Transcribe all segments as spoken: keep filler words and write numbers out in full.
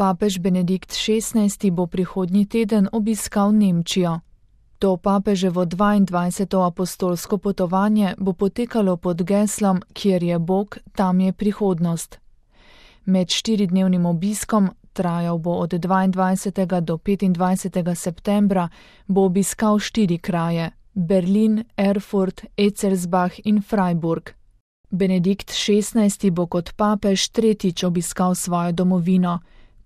Papež Benedikt šestnajsti bo prihodnji teden obiskal Nemčijo. To papeževo dvaindvajseto apostolsko potovanje bo potekalo pod geslom Kjer je Bog, tam je prihodnost. Med štiridnevnim obiskom, trajal bo od dvaindvajsetega do petindvajsetega septembra, bo obiskal štiri kraje: Berlin, Erfurt, Etzelsbach in Freiburg. Benedikt šestnajsti bo kot papež tretjič obiskal svojo domovino.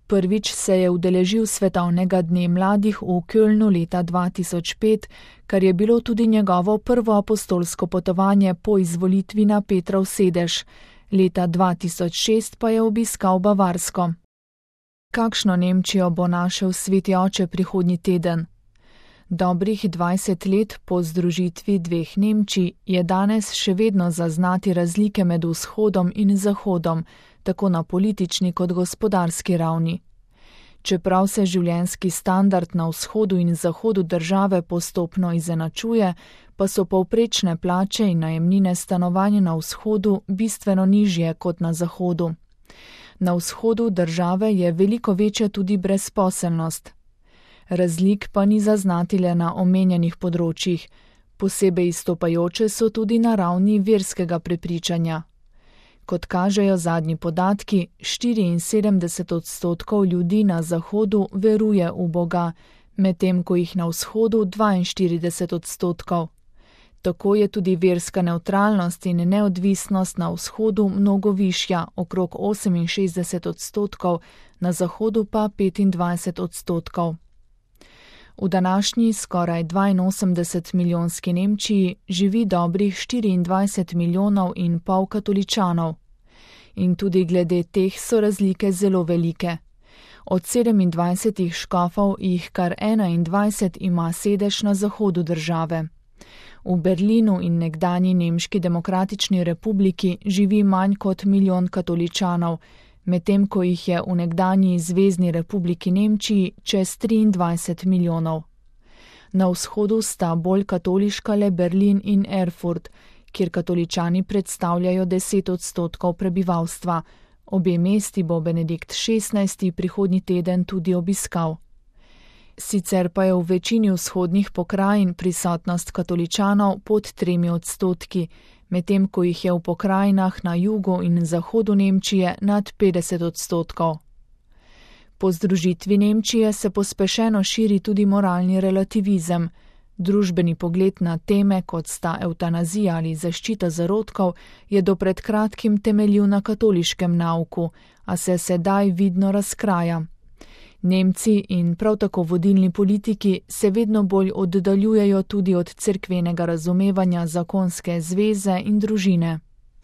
Prvič se je udeležil svetovnega dne mladih v Kölnu leta dva tisoč pet, kar je bilo tudi njegovo prvo apostolsko potovanje po izvolitvi na Petrov sedež. Leta dva tisoč šest pa je obiskal Bavarsko. Kakšno Nemčijo bo našel sveti oče prihodnji teden? Dobrih dvajset let po združitvi dveh Nemčij je danes še vedno zaznati razlike med vzhodom in zahodom, tako na politični kot gospodarski ravni. Čeprav se življenjski standard na vzhodu in zahodu države postopno izenačuje, pa so povprečne plače in najemnine stanovanja na vzhodu bistveno nižje kot na zahodu. Na vzhodu države je veliko večja tudi brezposelnost. Razlik pa ni zaznati le na omenjenih področjih, posebej izstopajoče so tudi na ravni verskega prepričanja. Kot kažejo zadnji podatki, štiriinsedemdeset odstotkov ljudi na zahodu veruje v Boga, medtem ko jih na vzhodu dvainštirideset odstotkov. Tako je tudi verska nevtralnost in neodvisnost na vzhodu mnogo višja, okrog oseminšestdeset odstotkov, na zahodu pa petindvajset odstotkov. V današnji skoraj dvainosemdeset milijonski Nemčiji živi dobrih štiriindvajset milijonov in pol katoličanov. In tudi glede teh so razlike zelo velike. Od sedemindvajsetih škofov jih kar enaindvajset ima sedež na zahodu države. V Berlinu in nekdanji Nemški demokratični republiki živi manj kot milijon katoličanov, medtem ko jih je v nekdanji Zvezni republiki Nemčiji čez triindvajset milijonov. Na vzhodu sta bolj katoliška le Berlin in Erfurt, kjer katoličani predstavljajo deset odstotkov prebivalstva. Obe mesti bo Benedikt šestnajsti prihodnji teden tudi obiskal. Sicer pa je v večini vzhodnih pokrajin prisotnost katoličanov pod tremi odstotki, medtem ko jih je v pokrajinah na jugu in zahodu Nemčije nad petdeset odstotkov. Po združitvi Nemčije se pospešeno širi tudi moralni relativizem. Družbeni pogled na teme, kot sta evtanazija ali zaščita zarodkov, je do pred kratkim temeljil na katoliškem nauku, a se sedaj vidno razkraja. Nemci in prav tako vodilni politiki se vedno bolj oddaljujejo tudi od cerkvenega razumevanja zakonske zveze in družine.